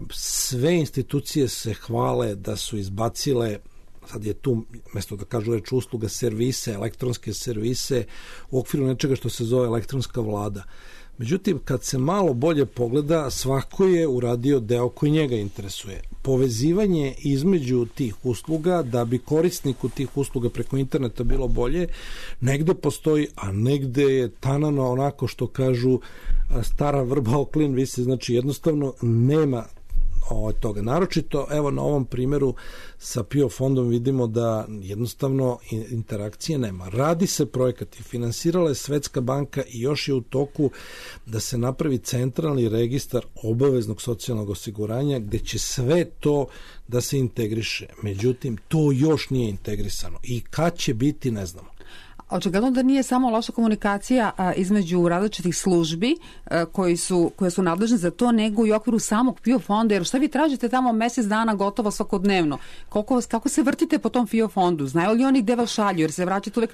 sve institucije se hvale da su izbacile, sad je tu, mesto da kažu reč usluga, servise, elektronske servise u okviru nečega što se zove elektronska vlada. Međutim, kad se malo bolje pogleda, svako je uradio deo koji njega interesuje. Povezivanje između tih usluga, da bi korisniku tih usluga preko interneta bilo bolje, negde postoji, a negde je tanano onako što kažu stara vrba o klin visi, znači jednostavno nema toga. Naročito, evo na ovom primjeru sa PIO fondom vidimo da jednostavno interakcije nema. Radi se projekat i finansirala je Svetska banka i još je u toku da se napravi centralni registar obaveznog socijalnog osiguranja gde će sve to da se integriše. Međutim, to još nije integrisano. I kad će biti, ne znamo. Očigledno da nije samo loša komunikacija između različitih službi koje su nadležne za to, nego i u okviru samog PIO fonda, jer šta vi tražite tamo mesec dana gotovo svakodnevno? Kako se vrtite po tom PIO fondu? Znaju li oni gde vas šalju? Jer se vraćate uvek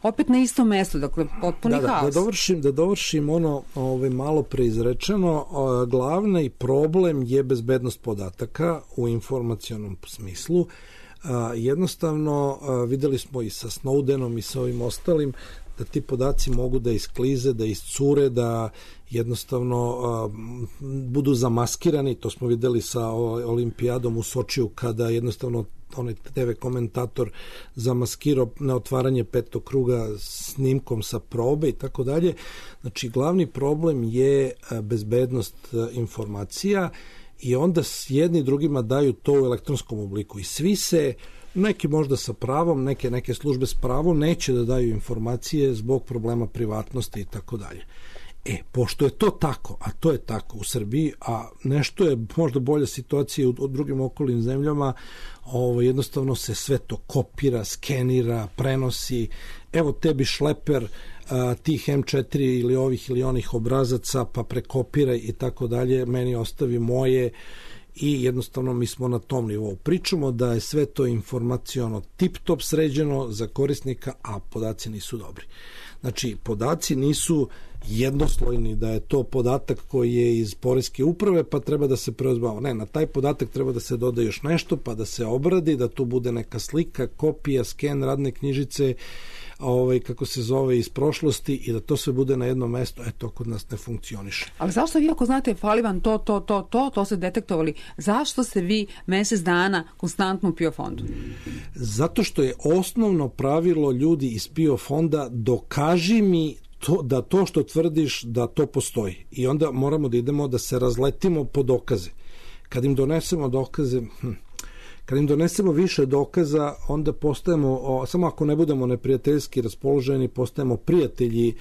opet na isto mesto, dakle potpuni haos. Da dovršim ono malo preizrečeno, glavni problem je bezbednost podataka u informacionom smislu. Jednostavno videli smo i sa Snowdenom i sa ovim ostalim da ti podaci mogu da isklize, da iscure, da jednostavno budu zamaskirani. To smo videli sa olimpijadom u Sočiju kada jednostavno onaj TV komentator zamaskirao na otvaranje petog kruga snimkom sa probe i tako dalje. Znači glavni problem je bezbednost informacija i onda jedni drugima daju to u elektronskom obliku i svi se, neki možda sa pravom, neke službe s pravom neće da daju informacije zbog problema privatnosti i tako dalje. Pošto je to tako, a to je tako u Srbiji, a nešto je možda bolja situacija u drugim okolnim zemljama, jednostavno se sve to kopira, skenira, prenosi, evo tebi šleper tih M4 ili ovih ili onih obrazaca, pa prekopiraj i tako dalje, meni ostavi moje i jednostavno mi smo na tom nivou. Pričamo da je sve to informaciono tip-top sređeno za korisnika, a podaci nisu dobri. Znači, podaci nisu jednoslojni, da je to podatak koji je iz poreske uprave, pa treba da se preuzbava. Ne, na taj podatak treba da se doda još nešto, pa da se obradi, da tu bude neka slika, kopija, sken, radne knjižice, kako se zove, iz prošlosti i da to sve bude na jednom mestu, to kod nas ne funkcioniše. Ali zašto vi ako znate fali vam to ste detektovali, zašto ste vi mesec dana konstantno u PIO fondu? Zato što je osnovno pravilo ljudi iz PIO fonda dokaži mi da to što tvrdiš da to postoji i onda moramo da idemo da se razletimo po dokaze. Kad im donesemo dokaze, kad im donesemo više dokaza, onda postajemo, samo ako ne budemo neprijateljski raspoloženi, postajemo prijatelji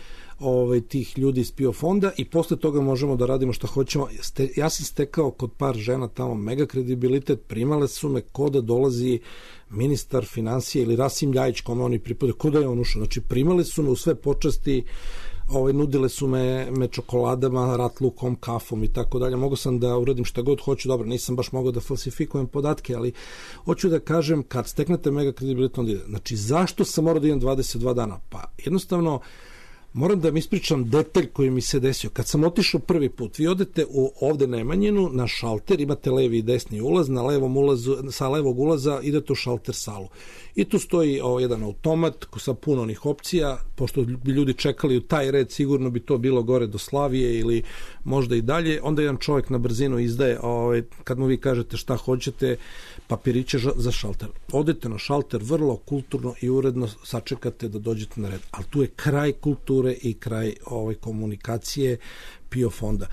tih ljudi iz PIO fonda i posle toga možemo da radimo što hoćemo. Ja sam stekao kod par žena tamo mega kredibilitet, primale su me ko da dolazi ministar financija ili Rasim Ljajić, kome oni pripadaju, ko da je on ušao. Znači, primale su me u sve počasti, nudile su me čokoladama, ratlukom, kafom i tako dalje. Mogao sam da uradim šta god hoću, dobro, nisam baš mogao da falsifikujem podatke, ali hoću da kažem, kad steknete mega kredibilitet, onda ide. Znači, zašto sam morao da idem 22 dana? Pa, jednostavno, moram da vam ispričam detalj koji mi se desio. Kad sam otišao prvi put, vi odete ovde na Nemanjinu, na šalter, imate levi i desni ulaz, sa levog ulaza idete u šalter salu. I tu stoji jedan automat sa puno onih opcija, pošto bi ljudi čekali u taj red, sigurno bi to bilo gore do Slavije ili možda i dalje. Onda jedan čovjek na brzinu izdaje, kad mu vi kažete šta hoćete, papiriće za šalter. Odete na šalter, vrlo kulturno i uredno sačekate da dođete na red. Ali tu je kraj kulture i kraj komunikacije PIO fonda.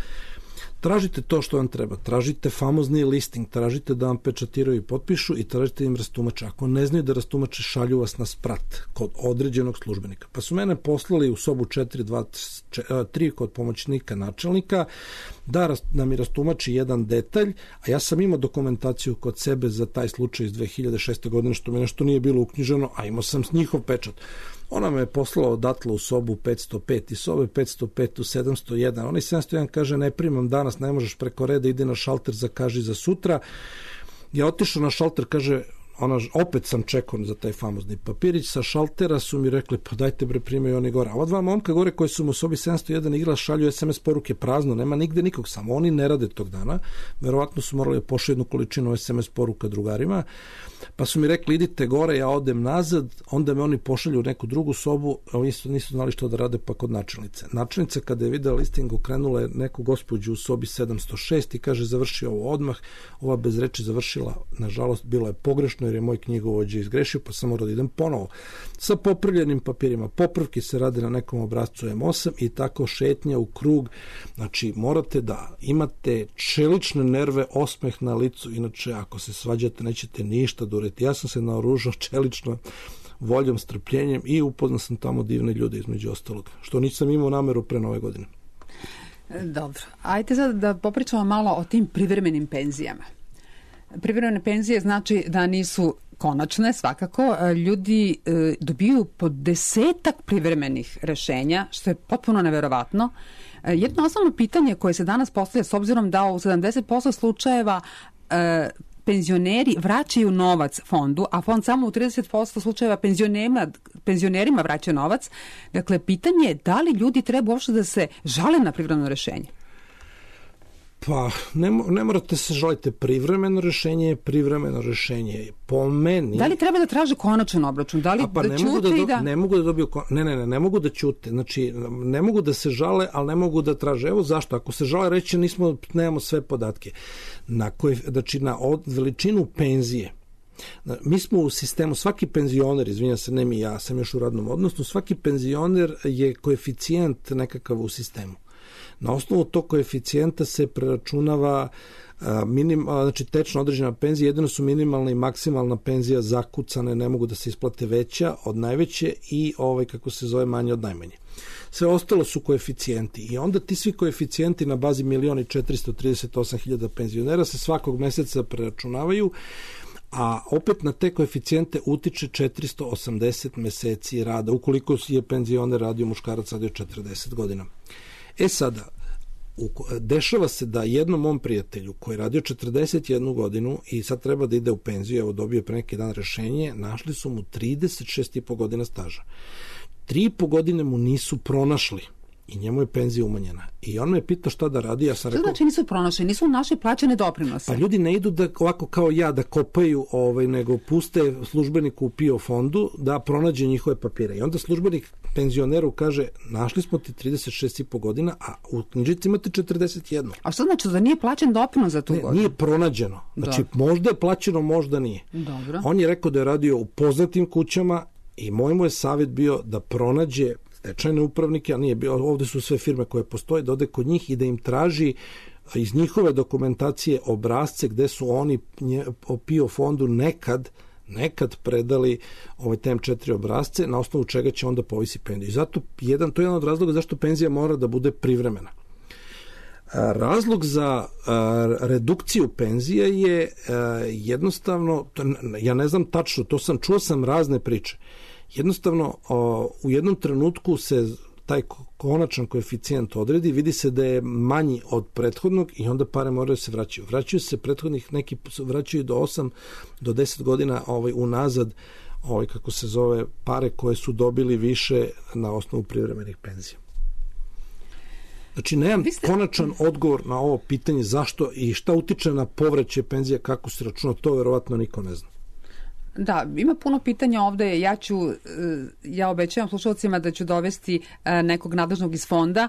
Tražite to što vam treba, tražite famozni listing, tražite da vam pečatiraju i potpišu i tražite im rastumače. Ako ne znaju da rastumače, šalju vas na sprat kod određenog službenika. Pa su mene poslali u sobu 4-2-3 kod pomoćnika načelnika da mi rastumači jedan detalj, a ja sam imao dokumentaciju kod sebe za taj slučaj iz 2006. godine, što mi nešto nije bilo uknjiženo, a imao sam njihov pečat. Ona me je poslala odatle u sobu 505 i sobe 505 u 701. Onaj 701 kaže, ne primam danas, ne možeš preko reda, ide na šalter, zakaži za sutra. Ja otišao na šalter, kaže, opet sam čekao za taj famozni papirić, sa šaltera su mi rekli, pa dajte bre, primaju oni gore. A ova dva momka gore koji su mu u sobi 701 igla šalju SMS poruke prazno, nema nigde nikog, samo oni ne rade tog dana, verovatno su morali pošli jednu količinu SMS poruka drugarima, pa su mi rekli, idite gore, ja odem nazad, onda me oni pošalju u neku drugu sobu, a oni nisu znali što da rade, pa kod načelnice. Načelnica kada je videla listing, okrenula je neku gospođu u sobi 706 i kaže, završi ovo odmah. Ova bez reči završila, nažalost, bilo je pogrešno jer je moj knjigovođa izgrešio, pa sam morao da idem ponovo. Sa popravljenim papirima, popravki se rade na nekom obrazcu M8 i tako šetnja u krug. Znači, morate da imate čelične nerve, osmeh na licu, inače ako se svađate nećete ništa dureti. Ja sam se naoružao čelično voljom, strpljenjem i upoznao sam tamo divne ljude između ostalog, što nisam imao nameru pre Nove godine. Dobro, ajde sad da popričamo malo o tim privremenim penzijama. Privremene penzije znači da nisu konačne, svakako. Ljudi dobiju po 10 privremenih rešenja, što je potpuno neverovatno. Jedno osnovno pitanje koje se danas postavlja, s obzirom da u 70% slučajeva penzioneri vraćaju novac fondu, a fond samo u 30% slučajeva penzionerima vraćaju novac. Dakle, pitanje je da li ljudi treba uopšte da se žale na privremeno rešenje? Pa, ne morate se žaliti. Privremeno rešenje po meni... Da li treba da traže konačan obračun? Da li da ćute i da... Ne mogu da dobiju... Ne mogu da ćute. Znači, ne mogu da se žale, ali ne mogu da traže. Evo zašto? Ako se žale, reći nemamo sve podatke. Znači, na veličinu penzije. Mi smo u sistemu, svaki penzioner, izvinjam se, ne mi, ja sam još u radnom odnosu, svaki penzioner je koeficijent nekakav u sistemu. Na osnovu tog koeficijenta se preračunava znači tečno određena penzija, jedino su minimalna i maksimalna penzija zakucane, ne mogu da se isplate veća od najveće i manje od najmanje. Sve ostalo su koeficijenti i onda ti svi koeficijenti na bazi 1.438.000 penzionera se svakog meseca preračunavaju, a opet na te koeficijente utiče 480 meseci rada, ukoliko je penzioner radio muškarac radio 40 godina. Sada, dešava se da jednom mom prijatelju koji je radio 41 godinu i sad treba da ide u penziju, evo dobio pre neki dan rešenje, našli su mu 36,5 godina staža. 3,5 godine mu nisu pronašli i njemu je penzija umanjena. I on me pitao šta da radi, ja sam rekao... Što znači nisu pronašli? Nisu naše plaćene doprinose? Pa ljudi ne idu da ovako kao ja da kopaju, nego puste službeniku u PIO fondu da pronađe njihove papire. I onda službenik penzioneru kaže, našli smo ti 36,5 godina, a u knjižici imate 41. A što znači da nije plaćen doprinos za tu godinu? Nije pronađeno. Znači, možda je plaćeno, možda nije. Dobro. On je rekao da je radio u poznatim kućama i moj mu je savjet bio da pronađe stečajne upravnike, a nije bio, ovde su sve firme koje postoje, da ode kod njih i da im traži iz njihove dokumentacije obrazce gde su oni o PIO fondu nekad predali TM4 obrazce, na osnovu čega će onda povisi penziju. Zato to je jedan od razloga zašto penzija mora da bude privremena. Razlog za redukciju penzije je jednostavno, ja ne znam tačno, čuo sam razne priče. Jednostavno, u jednom trenutku se taj konačan koeficijent odredi, vidi se da je manji od prethodnog i onda pare moraju se vraćaju. Vraćaju se prethodnih, neki vraćaju do 8 do 10 godina unazad, pare koje su dobili više na osnovu privremenih penzija. Znači, nemam konačan odgovor na ovo pitanje zašto i šta utiče na povraćaj penzija, kako se računa, to verovatno niko ne zna. Da, ima puno pitanja ovde. Ja obećavam slušalcima da ću dovesti nekog nadležnog iz fonda,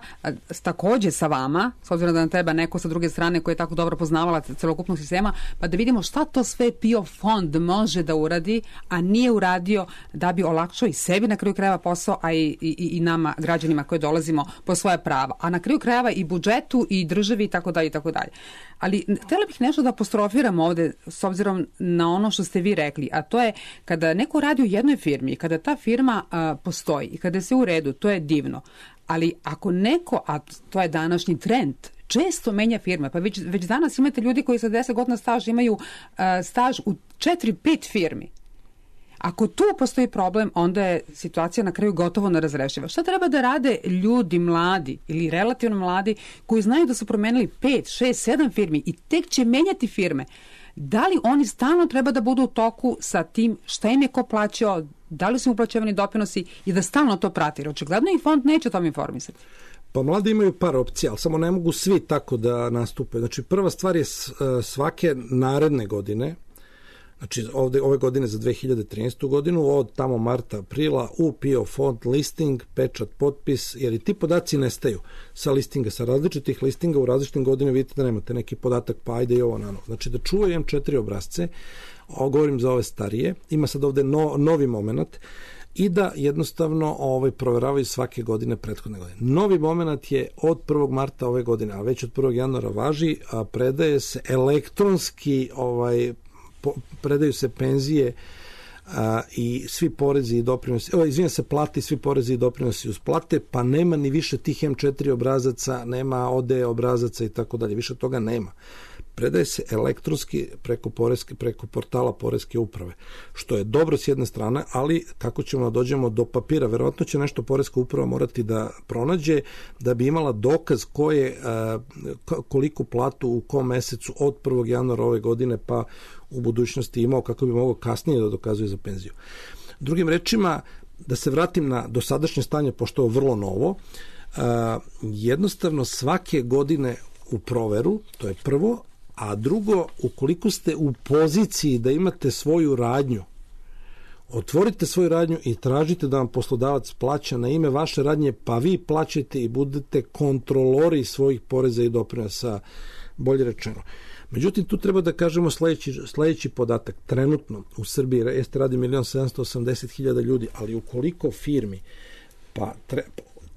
takođe sa vama, s obzirom da nam treba neko sa druge strane koji je tako dobro poznavala celokupnog sistema, pa da vidimo šta to sve PIO fond može da uradi, a nije uradio da bi olakšao i sebi na kraju krajeva posao, a i nama, građanima koji dolazimo po svoje prava. A na kraju krajeva i budžetu i državi i tako dalje i tako dalje. Ali htjela bih nešto da apostrofiram ovde s obzirom na ono što ste vi rekli, a to je kada neko radi u jednoj firmi i kada ta firma postoji i kada se u redu, to je divno. Ali ako neko, a to je današnji trend, često menja firme, pa već danas imate ljudi koji sa 10 godina staža imaju staž u 4-5 firmi. Ako tu postoji problem, onda je situacija na kraju gotovo nerazrešiva. Šta treba da rade ljudi mladi ili relativno mladi koji znaju da su promenili 5, 6, 7 firmi i tek će menjati firme? Da li oni stalno treba da budu u toku sa tim šta im je ko plaćao, da li su uplaćivani doprinosi i da stalno to prati? Jer očigledno i fond neće o tom informisati. Pa mladi imaju par opcija, ali samo ne mogu svi tako da nastupe. Znači, prva stvar je svake naredne godine, znači ove godine za 2013. godinu, od tamo marta, aprila, u PIO fond listing, pečat, potpis, jer i ti podaci nestaju sa listinga, sa različitih listinga u različitim godinama vidite da nemate neki podatak, pa ajde i ovo na novo. Znači da čuvaju M4 obrazce, govorim za ove starije, ima sad ovde novi moment, i da jednostavno proveravaju svake godine prethodne godine. Novi moment je od 1. marta ove godine, a već od 1. januara važi, a predaje se elektronski, predaju se penzije i svi porezi i doprinosi, plate i svi porezi i doprinosi uz plate, pa nema ni više tih M4 obrazaca, nema ODE obrazaca i tako dalje, više toga nema. Predaje se elektronski preko portala Poreske uprave, što je dobro s jedne strane, ali kako ćemo da dođemo do papira, verovatno će nešto Poreska uprava morati da pronađe da bi imala dokaz koliku platu u kom mesecu od 1. januara ove godine pa u budućnosti imao, kako bi mogao kasnije da dokazuje za penziju. Drugim rečima, da se vratim na dosadašnje stanje, pošto je vrlo novo, jednostavno svake godine u proveru, to je prvo, a drugo, ukoliko ste u poziciji da imate svoju radnju, otvorite svoju radnju i tražite da vam poslodavac plaća na ime vaše radnje, pa vi plaćate i budete kontrolori svojih poreza i doprinosa, bolje rečeno. Međutim, tu treba da kažemo sledeći podatak. Trenutno u Srbiji radi 1.780.000 ljudi, ali ukoliko firmi,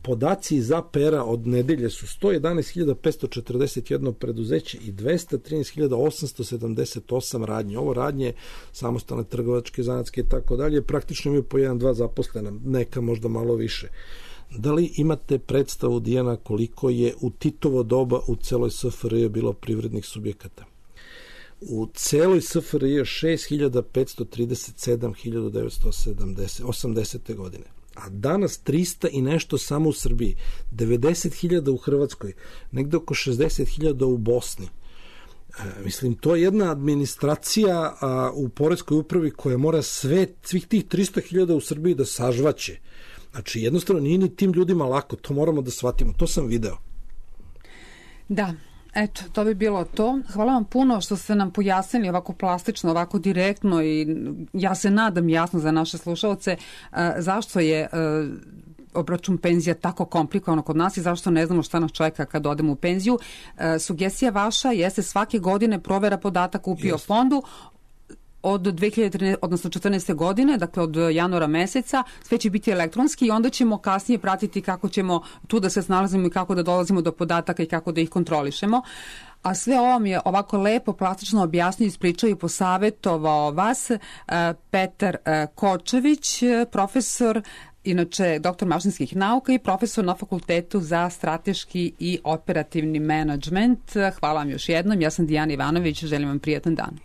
podaci iz APR-a od nedelje su 111.541 preduzeće i 213.878 radnji. Ovo radnje, samostalne trgovačke, zanatske i tako dalje, praktično imaju po 1-2 zaposlena, neka možda malo više. Da li imate predstavu, Dijana, koliko je u Titovo doba u celoj SFRJ bilo privrednih subjekata? U celoj SFRJ 6.537.980 godine. A danas 300 i nešto samo u Srbiji, 90.000 u Hrvatskoj, negde oko 60.000 u Bosni. Mislim, to je jedna administracija u Poreskoj upravi koja mora svih tih 300.000 u Srbiji da sažvaće. Znači, jednostavno nije ni tim ljudima lako, to moramo da shvatimo, to sam video. Da. Eto, to bi bilo to. Hvala vam puno što ste nam pojasnili ovako plastično, ovako direktno i ja se nadam jasno za naše slušalce zašto je obračun penzija tako komplikovano kod nas i zašto ne znamo šta nas čeka kad odemo u penziju. Sugestija vaša jeste svake godine provera podataka u PIO fondu od 2014. godine, dakle od januara meseca, sve će biti elektronski i onda ćemo kasnije pratiti kako ćemo tu da se snalazimo i kako da dolazimo do podataka i kako da ih kontrolišemo. A sve ovo mi je ovako lepo, plastično objasnio, ispričao i posavetovao vas Petar Kočević, profesor, inače doktor mašinskih nauka i profesor na Fakultetu za strateški i operativni menadžment. Hvala vam još jednom. Ja sam Dijana Ivanović, želim vam prijatan dan.